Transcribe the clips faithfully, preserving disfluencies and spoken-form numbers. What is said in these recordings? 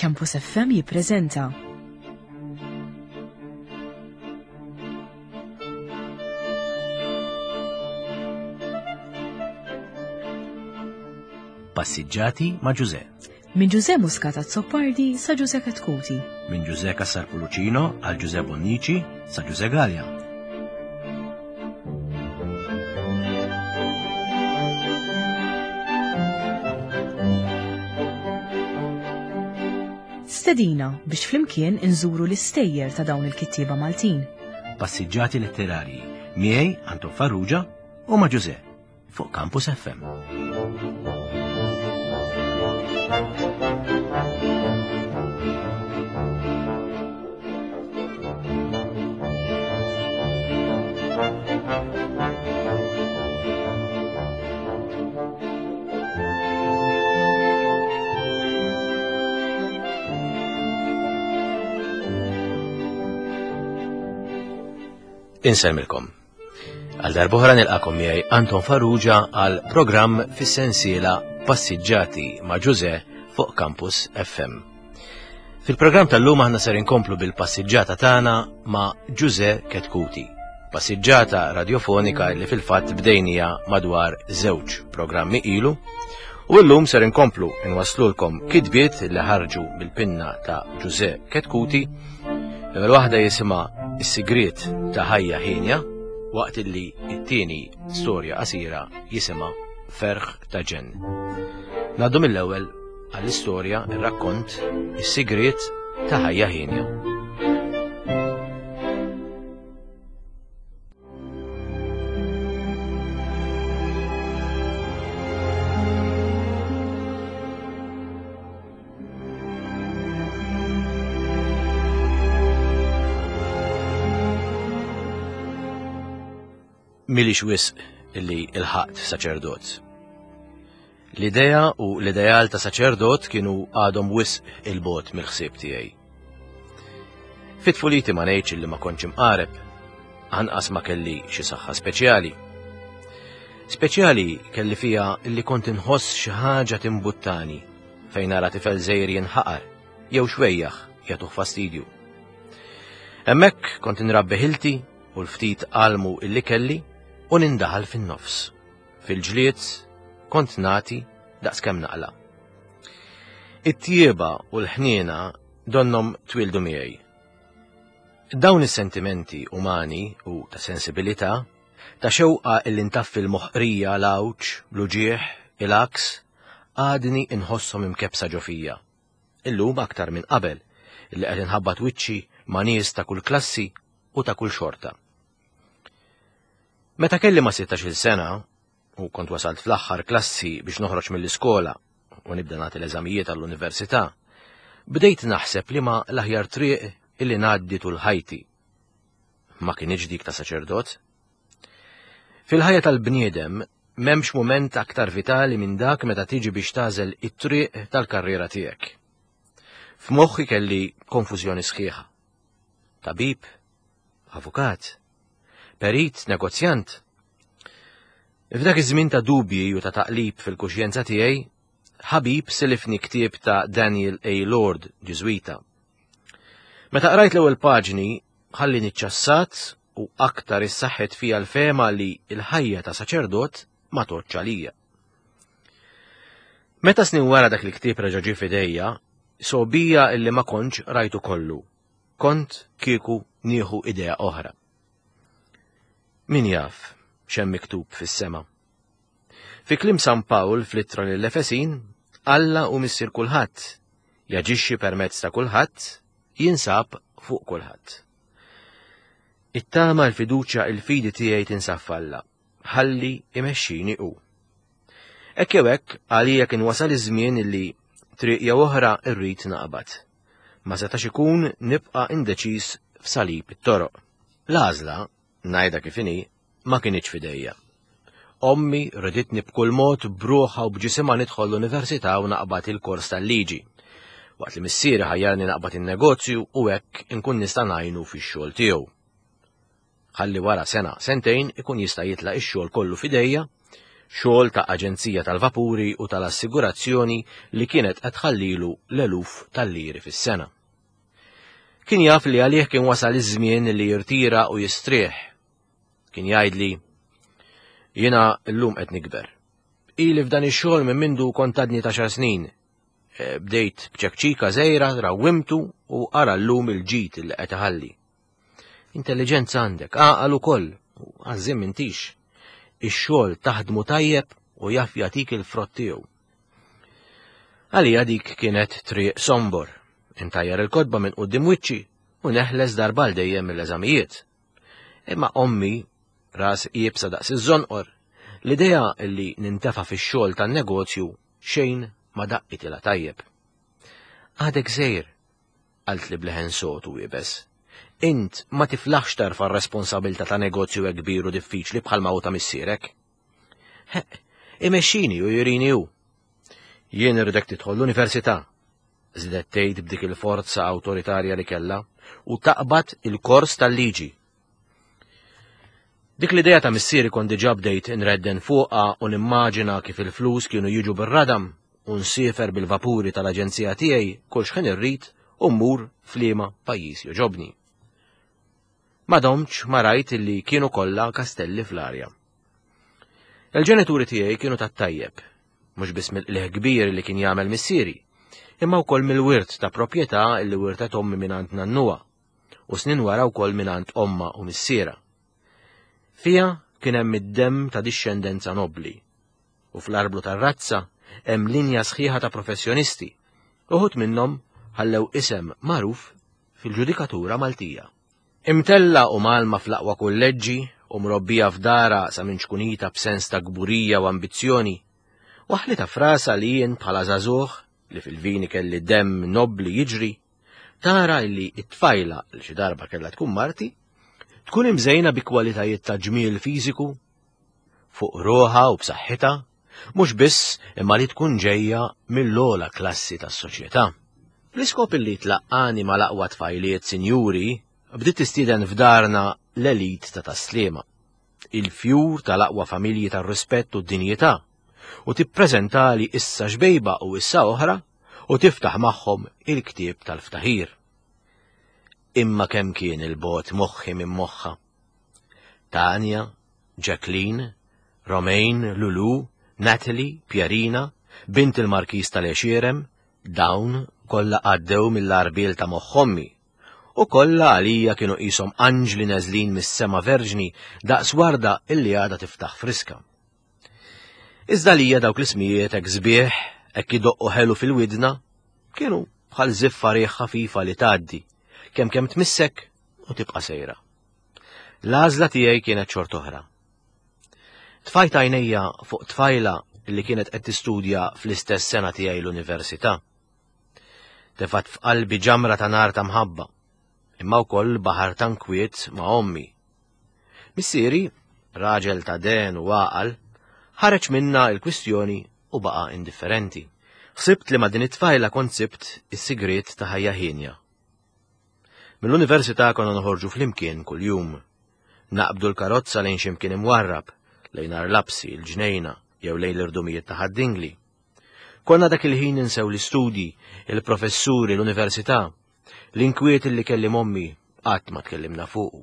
Campus F M jippreżenta Passiġġati ma' Ġuże. Minn Ġuże Muscat Azzopardi sa Ġuże Chetcuti. Minn Ġuże Cassar Pullicino għal Ġuże Bonnici sa Ġuże Galea. Stedina biex flimkien inżuru l-istejjer ta' dawn il-kittieba Maltin. Passiġġati letterarji miegħi Anton Farrugia u ma' Ġuże fuq Campus F M. Insemmilkom. Għal darb'oħra nilqakom miegħi Anton Farrugia għal programm fis-sensiela Passiġġati ma' Ġuże fuq Campus F M. Fil-programm tal-lum aħna ser inkomplu bil-passiġġata tagħna ma' Ġuże Chetcuti. Passiġġata radiofonika li fil-fatt bdejnija madwar żewġ programmi ilu, u llum ser inkomplu nwaslulkom kitbiet li ħarġu bil-pinna ta' Ġuże Chetcuti. L-ewwel waħda jisimha Is-Sigriet ta' Ħajja Ħienja, waqt illi t-tieni storja qasira jisimha Ferħ ta' Ġenn. Ngħaddu mill-ewwel għall-istorja, ir-rakkont Is-Sigriet ta' Ħajja Ħienja. Milix wisq illi ilħaqt saċerdot. L-idea u l-ideal ta' saċerdot kienu għadhom wisq il-bot mill-ħsieb tiegħi. Fit-tfuliti ma ngħidx illi ma kontx imqareb, anqas ma kelli xi saħħa speċjali. Speċjali kelli fija illi kont inħoss xi ħaġa timbuttani fejn nara tifel żgħir jinħaqar jew xwejjaħ jagħtuh fastidju. Hemmhekk kont inrabbi ħilti u l-ftit qalmu illi kelli u nindaħal fin-nofs. Fil-ġlied kont nati daqskemm naqla. It-tjieba u l-ħniena donnom twildu miegħi. Dawn is-sentimenti umani u ta' sensibilità, ta' xewqa illi ntaffi l-moħqrija, l-għawġ, l-uġieħ, il-aks, għadni inħosshom imkebsa ġo fija. Illum aktar minn qabel, illi qed inħabbat wiċċi ma' nies ta' kull klassi u ta' kull xorta. Meta kelli ma' sittax-il sena, u kont wasalt fl-aħħar klassi biex noħroġ mill-iskola u nibda nagħti l-eżamijiet għall-università, bdejt naħseb li ma l-aħjar triq illi ngħaddi tul ħajti. Ma kienx dik ta' saċerdot. Fil-ħajja tal-bniedem m'hemmx mument aktar vitali minn dak meta tiġi biex tagħżel it-triq tal-karriera tiegħek. F'moħħi kelli konfużjoni sħiħa. Tabib, avukat, perit, negozjant. F'dak iż-żmien ta' dubji u ta' taqlib fil-kuxjenza tiegħi, ħabib silifni ktieb ta' Daniel A. Lord, Ġiżwita. Meta qrajt l-ewwel paġni, ħalli niċċassat u aktar issaħħet fija l-fema li l-ħajja ta' saċerdot ma tgħodx għalija. Meta snin wara dak il-ktieb reġa' ġie f'idejja, sobija illi ma kontx rajtu kollu. Kont kieku nieħu idea oħra. Min jaf x'hemm miktub fis-sema? Fi kliem San Pawl fl-ittra lill-Efesin, Alla hu missier kulħadd, jaġixxi permezz ta' kulħadd, jinsab fuq kulħadd. It-tama, l-fiduċja, il-fidi tiegħi tinsab f'Alla, ħalli imexxini hu. Hekk jew hekk, għalija kien wasal iż-żmien illi triq jew oħra rrid naqbad. Ma setax ikun nibqa' indeċiż f'salib it-toroq. L-għażla, ngħidha kif inhi, ma kinitx f'idejja. Ommi riditni b'kull mod b'ruħha u b'ġisimha nidħol l-università u naqbad il-kors tal-liġi. Waqt li missieri ħajjarni naqbad in-negozju u hekk inkun nista' ngħinu fix-xogħol tiegħu. Ħalli wara sena, sentejn ikun jista' jitlaq ix-xogħol kollu f'idejja, Xogħol ta' aġenzija tal-vapuri u tal-assigurazzjoni li kienet qed tħallilu l-eluf tal-liri fis-sena. Kien jaf li għalih kien wasal iż-żmien li jirtira u jistrieħ. Kien jgħidli, jiena llum qed nikber. Ili f'dan ix-xogħol minn mindu kont għadni t'għaxar snin. Bdejt b'ċekċika żgħira, rawwimtu u ara llum il-ġid li qed iħalli. Intelliġenza għandek, għaqal ukoll, u għażżiem m'intix. Ix-xogħol taħdmu tajjeb u jaf jagħtik il-frott tiegħu. Għalija dik kienet triq sombor, intajjar il-kotba minn quddiem wiċċi u neħles darba għal dejjem mill-eżamijiet. Imma ommi, ras iebsa daqs iż-żonqor, l-idea li nintefa' fix-xogħol tan-negozju xejn ma daqqitilha tajjeb. Għadek żgħir, qaltli b'leħen sod u iebes. Int ma tiflaħx tarfa' r-responsabilità ta' negozju hekk kbir u diffiċli bħalma hu ta' missierek. Heq, imexxini u jurini hu. Jien irridek tidħol l-università, żiedet tgħid b'dik il-forza awtoritarja li kellha, u taqbad il-kors tal-liġi. Dik l-idea ta' missieri kont diġà bdejt inredden fuqha u nimmaġina kif il-flus kienu jiġu bir-radam u nsiefer bil-vapuri tal-aġenzija tiegħi kull x'ħin irrid u mmur f'liema pajjiż joġobni. Ma domtx ma rajt illi kienu kollha kastelli fl-arja. Il-ġenituri tiegħi kienu tat-tajjeb, mhux biss mill-qligħ kbir li kien jagħmel missieri, imma wkoll mill-wirt ta' proprjetà li wirtet ommi mingħand nannuha, u snin wara wkoll mingħand omma u missiera. Fija kien hemm id-demm ta' dixxendenza nobbli, u fl-arblu tar-razza hemm linja sħiħa ta' professjonisti, uħud minnhom ħallew isem magħruf fil-ġudikatura Maltija. Imtella u malma fl-aqwa kulleġġi u mrobbija f'dara sa minn ċkunita b'sens ta' kburija u ambizzjoni, waħlita frasa li jien bħala żagħżugħ li fil-vini kelli demm nobbli jiġri, tara li t-tfajla li xi darba kellha tkun marti, tkun imżejna bi kwalitajiet ta' ġmiel fiżiku, fuq ruħha u b'saħħitha, mhux biss imma li tkun ġejja mill-ogħla klassi tas-soċjetà. Bl-iskop li tlaqqani mal-aqwa tfajliet sinjuri, bdiet tistieden f'darna l-elit ta' Tas-Sliema, il-fjur tal-aqwa familji tar-rispett u d-dinjità, u tippreżentali issa xbejba u issa oħra u tiftaħ magħhom il-ktieb tal-ftaħir. Imma kemm kien il-bot moħħi minn moħħa. Tanja, Jacqueline, Romaine, Lulu, Natalie, Pierina, bint il-Markiż tal-Għexierem, dawn kollha għaddew mill-arbiel ta' moħħ ommi, u kollha għalija kienu qishom anġli neżlin mis-sema verġni daqs warda illi għadha tiftaħ friska. Iżda lija dawk l-ismijiet hekk sbieħ, hekk idoqqu ħelu fil-widna, kienu bħal żiffa riħ ħafifa li tgħaddi, kemm kemm tmissek u tibqa' sejra. L-għażla tiegħi kienet xort oħra. Tfajt għajnejja fuq tfajla li kienet qed tistudja fl-istess sena tiegħi l-università. Tefat f'qalbi ġamra ta' nar ta' mħabba, imma wkoll baħar ta' nkwiet ma' ommi. Missieri, raġel ta' den u għaqal, ħareġ minna il-kwistjoni u baqa' indifferenti. Ħsibt li ma' din it-tfajla kont sibt is-sigriet ta' ħajja hienja. Mill-università konna noħorġu flimkien kuljum. Naqbdu l-karozza lejn x'imkien imwarrab, lejn Għar Lapsi, il-Ġnejna, jew lejn l-irdumijiet ta' Ħad-Dingli. Konna dak il-ħin ninsew l-istudji, il-professuri, l-università. L-inkwiet li kelli m'ommi qatt ma tkellimna fuqu.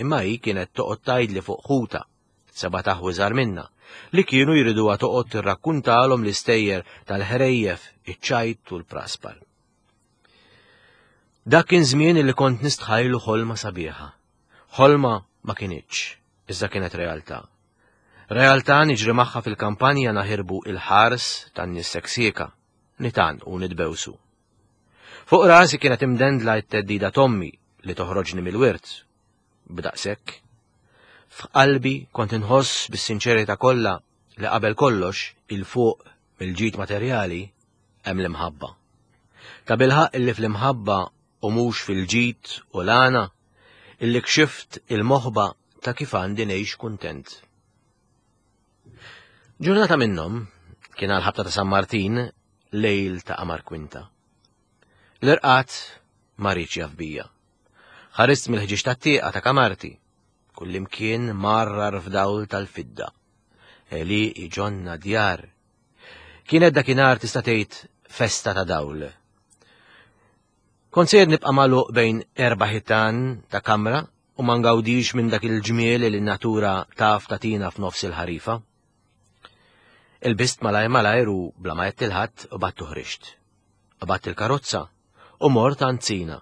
Imma hi kienet toqgħod tgħidli fuq ħuta, seba' taħwi żgħar minna, li kienu jriduha toqgħod tirrakkuntalhom l-istejjer tal-ħrejjef, iċ-ċajt u l-praspar. Dak kien żmien li kont nistħajlu ħolma sabiħa. Ħolma ma kinitx, iżda kienet realtà. Realtà niġri magħha fil-kampanja naħirbu il-ħars tan-nies seksieka, nitan u nitbewsu. Fuq rasi kienet imdendla t-teddida t'ommi li toħroġni mill-wirt. B'daqshekk. F'qalbi kont inħoss bis-sinċerità kollha li qabel kollox il-fuq mill-ġid materjali hemm l-imħabba. Ta' bilħaq illi fl-imħabba u mhux fil-ġid u l-għana illi kxift il-moħba ta' kif għandi ngħix kuntent. Ġurnata minnhom kien għal ħabta ta' San Martin, lejl ta' qamar kwinta. L-irqat ma riedx jaf bija. Ħarist mill-ħġieġ tat-tieqa ta' kamarti, kullimkien marrar f'dawl tal-fidda. Għelieqi, ġonna, djar. Kienet dakinhar tista' tgħid festa ta' dawl. Kont sejjer nibqa' magħluq bejn erba' ħitan ta' kamra u ma ngawdix minn dak il-ġmiel li n-natura taf tagħtina f'nofs il-ħarifa. Ilbist malajr malajr u bla ma għedt lil ħadd u qbadt u ħriġt. Qbadt il-karozza u mort għand Sina,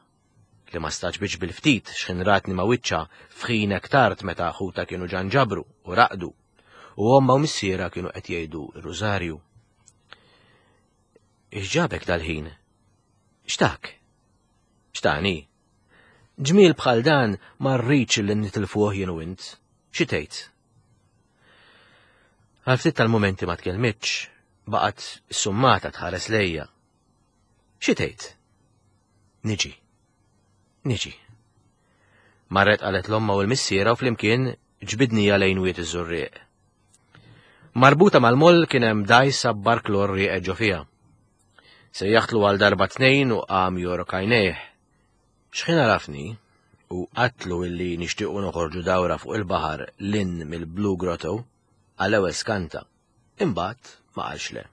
li ma stagħġbitx bil-ftit x'ħin ratni ma' wiċċha f'ħin hekk tard meta ħutha kienu ġa nġabru u raqdu u ommha u missierha kienu qed jgħidu r-rużarju. X'ġabek dal-ħin? X'tak? X'tani? Ġmiel bħal dan ma rridx li nitilfuh jien u int. Xi tgħid? Għal ftit tal-mumenti ma tkellmitx, baqgħet summata tħares lejja. Xi tgħid? Niġi. Niġi. Marret qalet l-omma u l-missiera u flimkien ġbidnija lejn Wied iż-Żurrieq. Marbuta mal-moll kien hemm dgħajsa b'barklor rieqed ġo fiha. Sejjaħtlu għal darba tnejn u qam jorok għajnejh. X'ħin għarafni u għedtlu illi nixtiequ noħorġu dawra fuq il-baħar 'l hinn mill-Blue Grotto, għall-ewwel skanta. Imbagħad ma qalx le.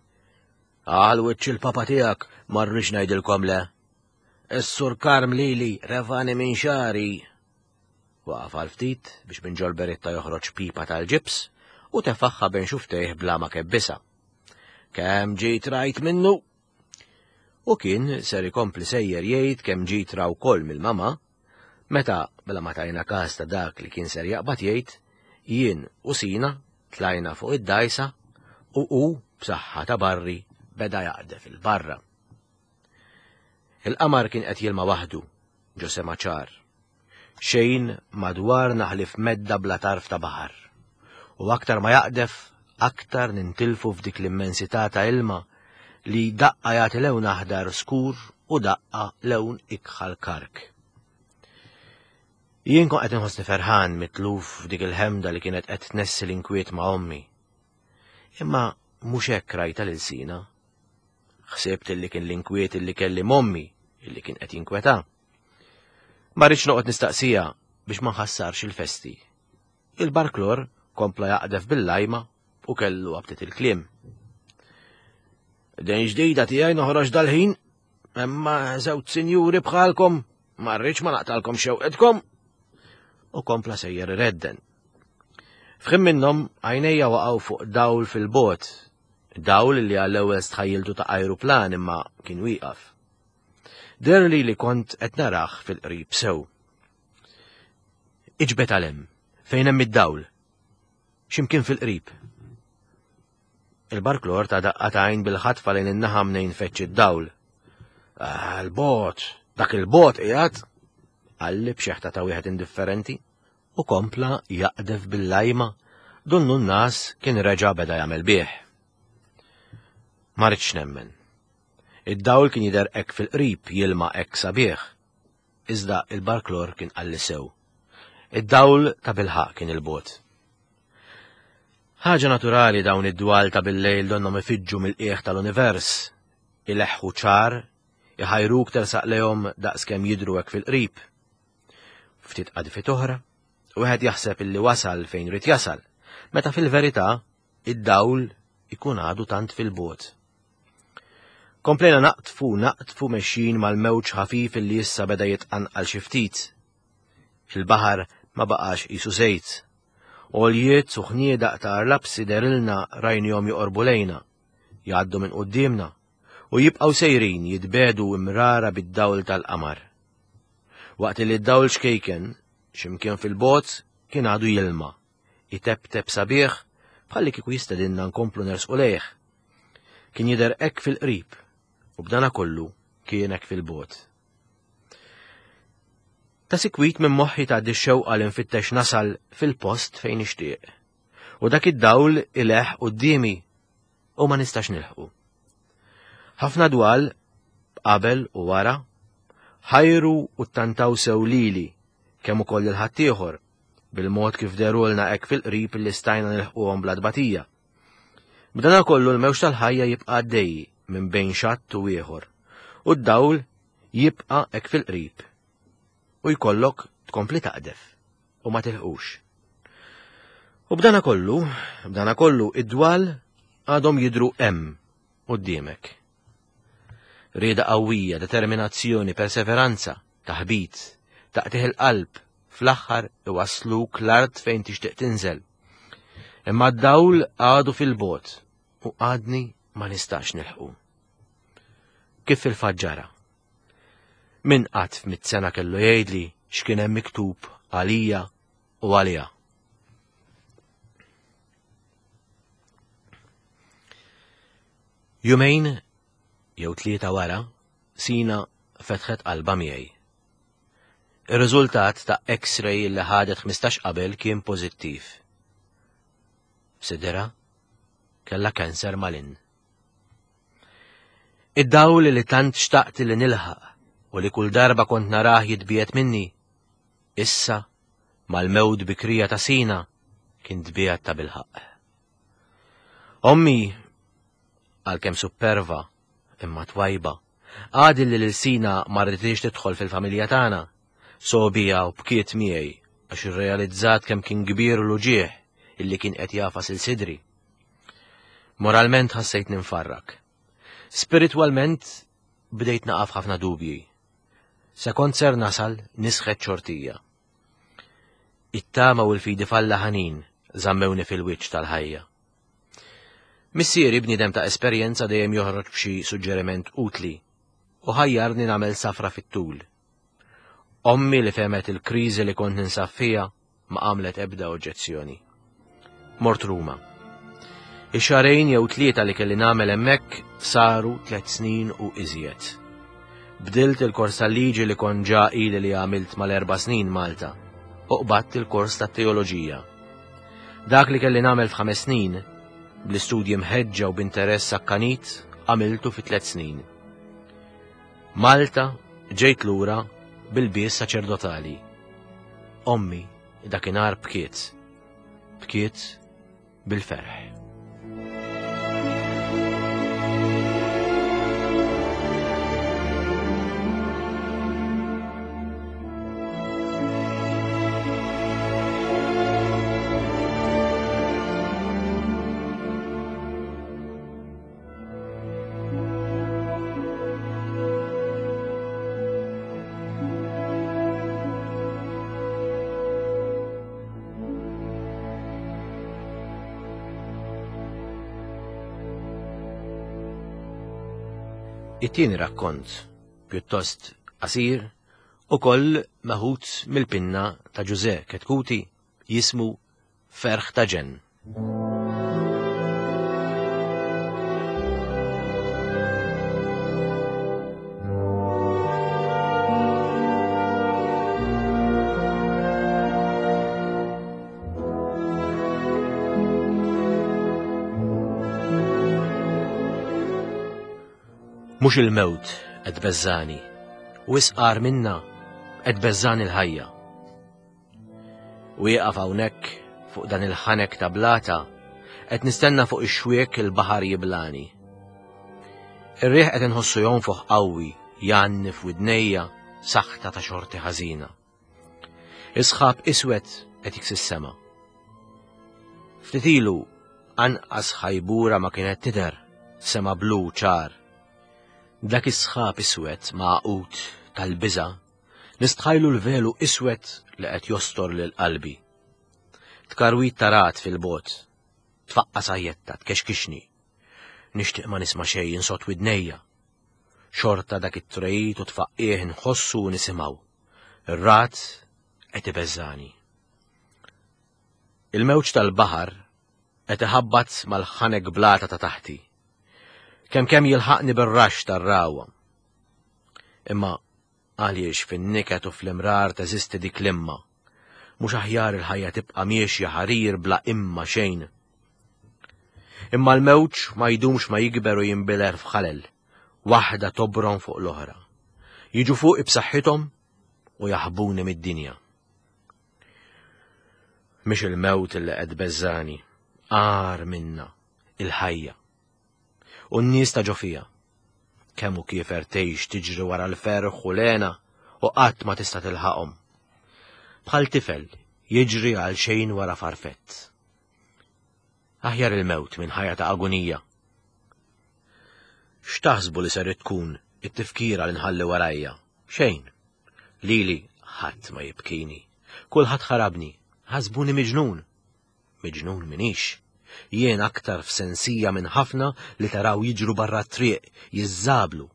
Għal wiċċ il-papa tiegħek ma rridx ngħidilkom le. Is-Sur Karm lili refagħni minn xagħri. Waqaf għal ftit biex minn ġol-beritta joħroġ pipa tal-ġibs u tefagħha bejn xufftejh bla ma kebbisha. Kemm ġejt rajt minnu? U kien ser ikompli sejjer jgħid kemm ġejt ra wkoll mill-mama, meta bla ma tajna każ ta' dak li kien ser jaqbad jgħid, jien u Sina tlajna fuq id-dgħajsa u hu b'saħħa ta' barri beda jaqdef il-barra. Il-qamar kien qed jilma waħdu ġo sema ċar. Xejn madwarna ħlief medda bla tarf ta' baħar. U aktar ma jaqdef, aktar nintilfu f'dik l-immensità ta' ilma li daqqa jagħti lewn aħdar skur u daqqa lewn ikħal kark. Jien kont qed inħossni ferħan mitluf f'dik il-ħemda li kienet qed tnessi l-inkwiet ma' ommi. Imma mhux hekk rajta lil Sina. Ħsibt illi kien l-inkwiet illi kelli m'ommi illi kien qed jinkweta. Ma rridx noqgħod nistaqsija biex ma nħassarx il-festi. Il-barklor kompla jaqdef bil-lajma u kellu għabtet il-kliem. Din ġdida tiegħi noħroġ dal-ħin, imma żewġ sinjuri bħalkom, ma rridx ma naqtalkom xewqetkom. U kompla sejjer iredden. F'ħin minnhom għajnejja waqgħu fuq dawl fil-bot, dawl li għall-ewwel stħajjiltu ta' ajruplan imma kien wieqaf. Deherli li kont qed narah fil-qrib sew. Iġbed għal hemm, fejn hemm id-dawl. X'imkien fil-qrib. Il-barklor ta daqqa t'għajn bil-ħatfa lejn in-naħa mnejn feċċ id-dawl. Ah, il-bot, dak il-bot qiegħed, qalli b'xeħta ta' wieħed indifferenti u kompla jaqdef bil-lajma donnu n-nas kien reġa' beda jagħmel bih. Ma ridtx nemmen. Id-dawl kien jidher hekk fil-qrib jilma hekk sabiħ. Iżda il-barklor kien qalli sew. Id-dawl ta' bilħaq kien il-bot. Ħaġa naturali dawn id-dwal ta' bil-lejl donnhom ifiġġu mill-qiegħ tal-univers, ileħħu ċar, iħajruk tersaq lejhom daqskemm jidhru hekk fil-qrib. Ftit qadfit oħra, wieħed jaħseb illi wasal fejn rid jasal, meta fil-verità id-dawl ikun għadu tant fil-bot. Komplejna naqtfu naqtfu mexjin mal-mewġ ħafif illi issa beda jitqanqal xi ftit. Il-baħar ma baqax qisu żejt. Għoljiet u ħniedaq ta' arlapsi dehrilna rajnihom joqorbu lejna, jgħaddu minn quddiemna u jibqgħu sejrin jitbedu imrara bid-dawl tal-qamar. Waqt li d-dawl xkejken, x'imkien fil-bot, kien għadu jilma, itebteb sabiħ bħalli kieku jistedinna nkomplu nersqu lejh. Kien jidher hekk fil-qrib u b'dana kollu kien hekk fil-bot. Ta' sikwit minn moħħi tgħaddi x-xewqa li nfittex nasal fil-post fejn nixtieq. U dak id-dawl ileħ quddiemi u ma nistax nilħqu. Ħafna dwal qabel u wara ħajru u ttantaw sew lili kemm ukoll lil ħaddieħor bil-mod kif derulna hekk fil-qrib li stajna nilħquhom bla tbatija. B'dana kollu l-mewġ tal-ħajja jibqa' għaddej minn bejn xatt u ieħor u d-dawl jibqa' hekk fil-qrib u jkollok tkompli taqdef u ma tilħqux. U b'dana kollu, b'dana kollu id-dwal għadhom jidru hemm quddiemek. Rieda qawwija, determinazzjoni, perseveranza, taħbit, taqtih il-qalb, fl-aħħar iwassluk l-art fejn tixtieq tinżel. Imma d-dawl għadu fil-bogħod u għadni ma nistax nilħqu. Kif fil-fatt ġara? Min qatt f'mitt sena kellu jgħidli x'kien hemm miktub għalija u għalija. Jumejn jew tlieta wara, Sina fetħet qalba miegħi. Ir-riżultat ta' X-ray li ħadet ħmistax qabel kien pożittiv. F'sidirha kellha kanser malinn. Id-dawl li tant xtaqt li nilħaq u li kull darba kont narah jitbiegħed minni, issa mal-mewt bikrija ta' Sina kien tbiegħed ta' bilħaq. Ommi, għalkemm supperva imma twajba, għad li lil Sina ma rriditx tidħol fil-familja tagħna, sobija u bkiet miegħi għax irrealizzat kemm kien kbir l-uġigħ illi kien qed jagħfas il sidri. Moralment ħassejt ninfarrak. Spiritwalment bdejt naqaf ħafna dubji. Se kont ser nasal nisħet xortija. It-tama u l-fidi f'Alla ħanin żammewni fil-wiċċ tal-ħajja. Missieri bniedem ta' esperjenza dejjem joħroġ b'xi suġġeriment utli u ħajjarni nagħmel safra fit-tul. Ommi li fehmet il-kriżi li kont ninsab fiha ma għamlet ebda oġġezzjoni. Mort Ruma. Ix-xahrejn jew tlieta li kelli nagħmel hemmhekk saru tliet snin u iżjed. Bdilt il-kors tal-liġi li kont ġa ili li għamilt mal-erba' snin Malta u qbadt il-kors tat-teoloġija. Dak li kelli nagħmel f'ħames snin, bl-istudji mħeġġa u b'interess akkanit, għamiltu fi tliet snin. Malta ġejt lura bil-bies saċerdotali. Ommi dakinhar bkiet. Bkiet bil-ferħ. It-tieni rakkont, pjuttost qasir, ukoll meħud mill-pinna ta' Ġużè Chetcuti, jismu Ferħ ta' Ġenn. Mhux il-mewt qed beżżani, u isqar minna qed beżżani l-ħajja. Wieqaf hawnhekk fuq dan il-ħanek ta' blata, qed nistenna fuq ix-xwiek il-baħar jiblani. Ir-riħ qed inħossu jonfoħ qawwi, jgħanni f'widnejja saħta ta' xorti ħażina. Isħab iswed qed jiksi s-sema. Ftit ilu anqas ħajbura ma kienet tidher, sema blu ċar. Dak is-sħab iswed maqut tal-biża, nistħajlu l-velu iswed li qed jostor lil qalbi. Tkarwit tarat fil-bot, tfaqqa sajjetta, tkexkixni. Nixtieq ma nisma' xejn insot widnejja. Xorta dak it-trejt u tfaqqih nħossu u nisimgħu. Ir-rat qed ibeżżani. Il-mewġ tal-baħar qed iħabbat mal-ħanek blata ta' taħti. Kemm kemm jilħaqni bir-rax tar-rawa. Imma għaliex fin-niket u fl-imrar teżisti dik l-imma? Mhux aħjar il-ħajja tibqa' miexja ħarir bla imma xejn. Imma l-mewġ ma jdumx ma jikber u jinbiler f'ħalel, waħda tobron fuq l-oħra. Jiġu fuqi b'saħħithom u jaħbuni mid-dinja. Mhix il-mewt li qed beżżani, agħar minna, il-ħajja. U n-nies ta' ġo fija. Kemm hu kiefer tgħix tiġri wara l-ferħ u l-hena u qatt ma tista' tilħaqhom. Bħal tifel jiġri għal xejn wara farfett. Aħjar il-mewt minn ħajja ta' agonija. X'taħsbu li ser tkun it-tifkira li nħalli warajja? Xejn. Lili ħadd ma jibkini. Kulħadd ħarabni. Ħasbuni miġnun. Miġnun minix. Jien aktar f'sensija minn ħafna li taraw jiġru barra t-triq, jiżżablu,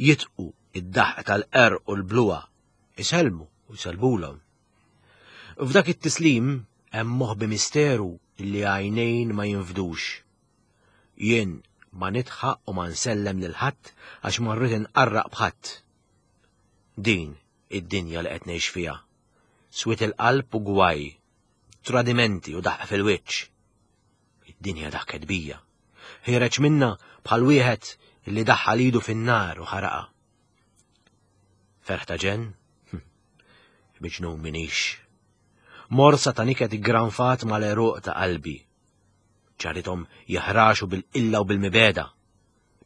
jitqu id-daħq tal-qerq u l-bluha, isellmu u jsellmulhom. F'dak it-tislim hemm moħbi misteru li għajnejn ma jinfdux. Jien ma nidħaq u ma nsellem lil ħadd għax ma rrid inqarraq b'ħadd. Din id-dinja li qed ngħix fiha. Swied il-qalb u gwaj, tradimenti u daħq fil-wiċċ. Id-dinja daħket bija. Ħiereġ minna bħal wieħed li daħħal idu fin-nar u ħaraqa. Ferħ ta' ġenn? Hm. Miġnun minix. Morsa ta' niket iggranfat mal-għeruq ta' qalbi. Ġarithom jaħraxu bil-qilla u bil-mibegħda.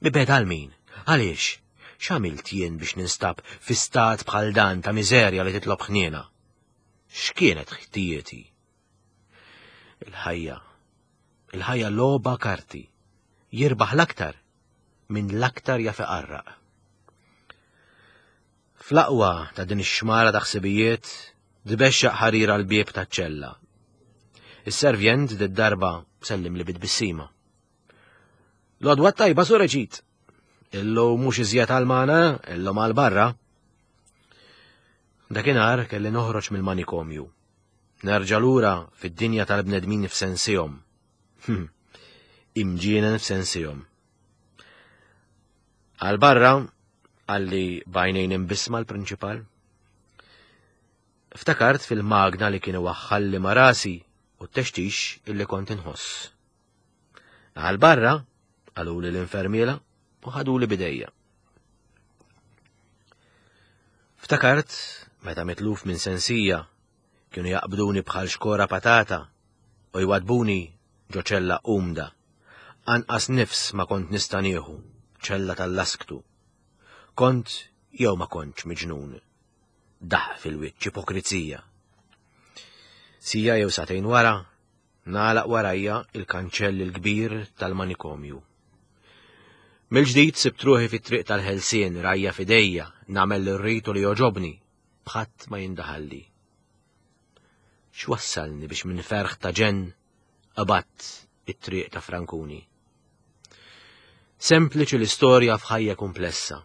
Mibegħda għal min? Għaliex? X'għamilt jien biex ninstab fi stat bħal dan ta' miżerja li titlob ħniena? X'kienet ħtijieti? Il-ħajja. Il-ħajja logħba karti. Jirbaħ l-aktar minn l-aktar jaf iqarraq. Fl-aqwa ta' din ix-xmara ta' ħsibijiet tbexxaq ħarira l-bieb taċ-ċella. Is-servjent d-darba sellim li bit-tbissima. L-għodwa tajba Sur Eġid. Illum mhux iżjed għal-magħna, illum għal barra. Dakinhar kelli noħroġ mill-manikomju. Nerġa' lura fid-dinja tal-bnedmin f'sensihom. Hm, imġienen f'sensihom. Għal barra, qalli b'għajnejn imbissma l-prinċipal. Ftakart fil-magna li kienu waħħalli ma' rasi u t-textix illi kont inħoss. Għal barra, qaluli l-infermiera u ħaduli bidejja. Ftakart meta mitluf minn sensija kienu jaqbduni bħal xkora patata u jwadbuni ġo ċella umda. Anqas nifs ma kont nista' nieħu, ċella tal-lasktu. Kont jew ma kontx miġnun. Daħq fil-wiċċ ipokrizija. Siegħa jew sagħtejn wara, nagħlaq warajja il-kanċell il-kbir tal-manikomju. Mill-ġdid sibt ruħi fit-triq tal-ħelsien rajja fidejja, nagħmel l-rritu li joġobni, bħadd ma jindaħalli. X'wassalni biex minn ferħ ta' ġenn qabadt it-triq ta' Frankuni? Sempliċi l-istorja f'ħajja komplessa.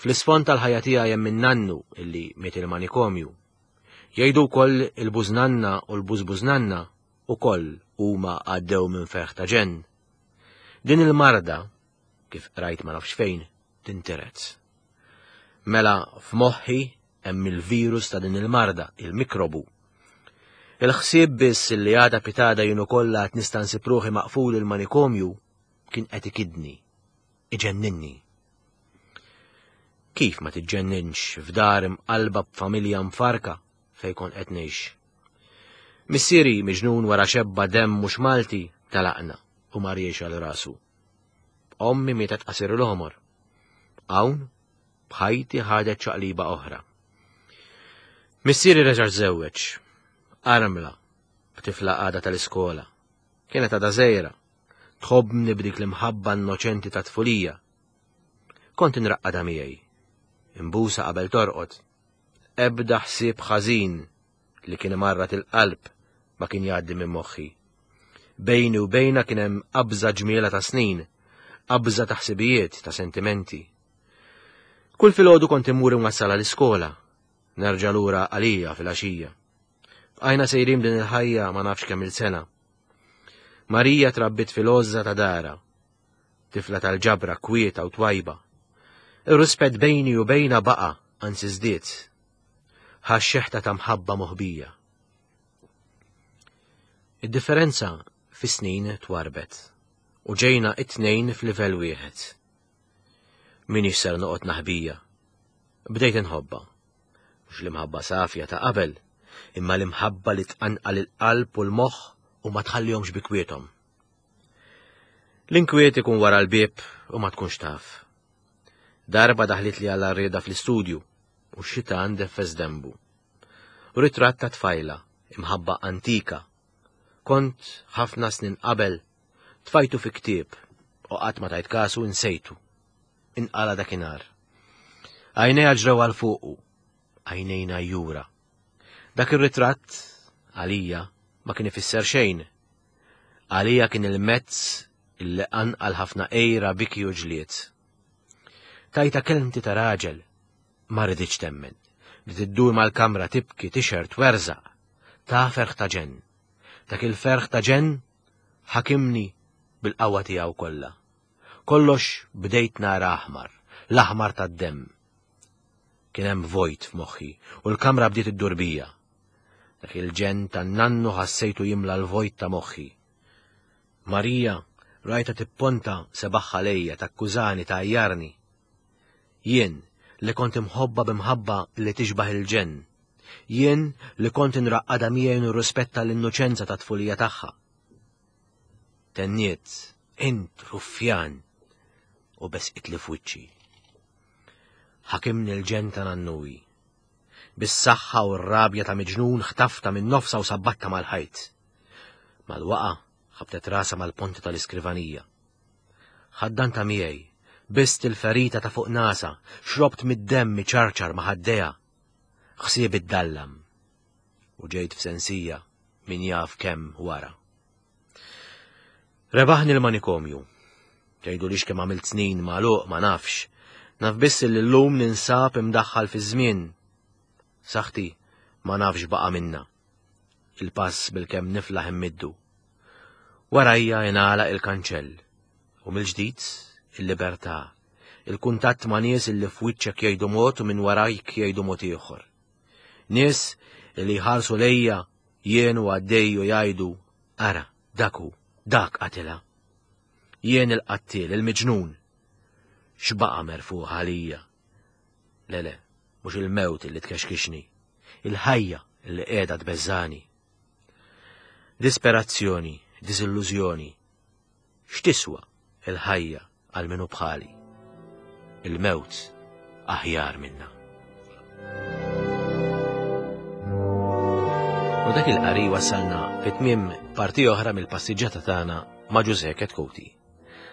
Fl-isfond tal-ħajja tiegħi hemm in-nannu illi miet il-manikomju. Jgħidu wkoll il-bużnanna u l-bużbużnanna ukoll huma għaddew minn ferħ ta' ġenn. Din il-marda, kif rajt ma nafx fejn, tintiret. Mela f'moħħi hemm il-virus ta' din il-marda, il-mikrobu. Il-ħsieb biss li għada pitgħada jien ukoll għad nista' nsib ruħi maqful il-manikomju kien qed ikidni, iġenninni. Kif ma tiġġenninx f'dar imqalba b'familja mfarka fejn kont qed ngħix? Missieri miġnun wara xebba demm mhux Malti talaqna u mar jgħix għal rasu. Ommi mietet qasir l-għomor. Hawn b'ħajti ħadet ċaqliba oħra. Missieri reġa' żewweġ, armla, b'tifla għada tal-iskola. Kienet għada żgħira, tħobbni b'dik l-imħabba innoċenti ta' tfulija. Kont inraqqadha miegħi, imbusa qabel torqod. Ebda ħsieb ħażin li kien imarrat il-qalb ma kien jgħaddi minn moħħi. Bejni u bejna kien hemm qabża ġmiela ta' snin, qabża ta' ħsibijiet, ta' sentimenti. Kull filgħodu kont immur inwassalha l-iskola, nerġa' lura għalija fil-għaxija. Bqajna sejrin din il-ħajja ma nafx kemm il-sena. Marija trabbit fil-għożża ta' dara, tifla tal-ġabra kwieta u twajba. Ir-rispett bejni u bejna baqa' anzi żdied. Ħa xeħta ta' mħabba moħbija. Id-differenza fis-snin twarbet u ġejna it-tnejn f'livell wieħed. Minix ser noqgħod naħbija. Bdejt inħobba. Mhux l-imħabba safja ta' qabel, imma l-imħabba li tqanqal il-qalb u l-moħħ u ma tħallihomx bi kwiethom. L-inkwiet ikun wara l-bieb u ma tkunx taf. Darba daħlit li għal rieda fl-istudju u x-xitan deffes dembu. Ritratt ta' tfajla, imħabba antika. Kont ħafna snin qabel tfajtu fi ktieb u qatt ma tajt kasu insejtu. Inqala dakinhar. Għajnejha ġrew għal fuqu, għajnejna jura. Dak ir-ritratt għalija ma kien ifisser xejn. Għalija kien il-mezz illi qanqal ħafna ejra biki u ġlied. Tajta kelmti ta' raġel, ma riditx temmen. Bdiet iddur mal-kamra tibki tixher twerżaq. Ta' ferħ ta' ġenn. Dak il-ferħ ta' ġenn ħakimni bil-qawwa tiegħu kollha. Kollox bdejt nara aħmar, l-aħmar tad-demm. Kien hemm vojt f'moħħi u l-kamra bdiet iddur bija. Dak il-ġenn tan-nannu ħassejtu jimla l-vojt ta' moħħi. Marija rajta tipponta sebagħha lejja takkużani tgħajjarni. Jien li kont imħobba b'imħabba li tixbaħ il-ġenn. Jien li kont inraqqada miegħi nirrispetta l-innoċenza ta' tfulija tagħha. Tenniet, int ruffjan, u besqitli f'wiċċi. Ħakimni l-ġenn ta' nannuwi. Bis-saħħa u r-rabja ta' miġnun ħtafta minn nofsa u sabbatta mal-ħajt. Mal-waqa ħabtet rasa mal-ponti tal-iskrivanija. Ħaddanta miegħi, bist il-ferita ta' fuq nasa, xrobt mid-demm ċarċar ma' ħaddejha. Ħsieb id-dallam. U ġejt f'sensija min jaf kemm wara. Rebaħni l-manikomju. Tgħidu lix kemm għamilt snin magħluq ma nafx. Naf biss li llum ninsab imdaħħal fi żmien. Saħti ma nafx baqa minna. Il-pass bil-kemm niflaħ immiddu. Warajja ingħalaq il-kanċell. U mill-ġdid il-libertà. Il-kuntatt ma' nies illi f'wiċċek jgħidu mod u minn warajk jgħidu mod ieħor. Nies li jħarsu lejja jien u għaddej u jgħidu ara, dak hu, dak qatilha. Jien il-qattil, il-miġnun. X'baqa' merfuħ għalija? Le le, mhux il-mewt li tkexkixni, il-ħajja li qiegħda tbeżżani. Disperazzjoni, diżillużjoni. X'tiswa il-ħajja għal minu bħali? Il-mewt aħjar minna. U dak il-qari wassalna fit-tmiem parti oħra mill-passiġġata tagħna ma' Ġużè Chetcuti.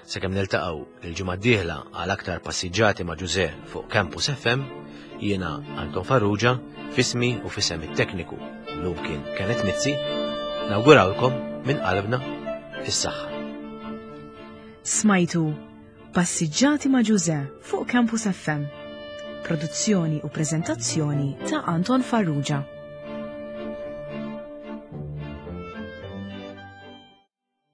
Sakemm niltaqgħu il-ġimgħa d-dieħla għal aktar passiġġati ma' Ġużè fuq Campus F M, jiena Anton Farrugia, fismi u fisem it-tekniku llum kien Kenneth Mizzi, nawgurawlkom minn qalbna is-saħħa. Smajtu Passiġġati ma' Ġużè fuq Campus F M. Produzzjoni u preżentazzjoni ta' Anton Farrugia.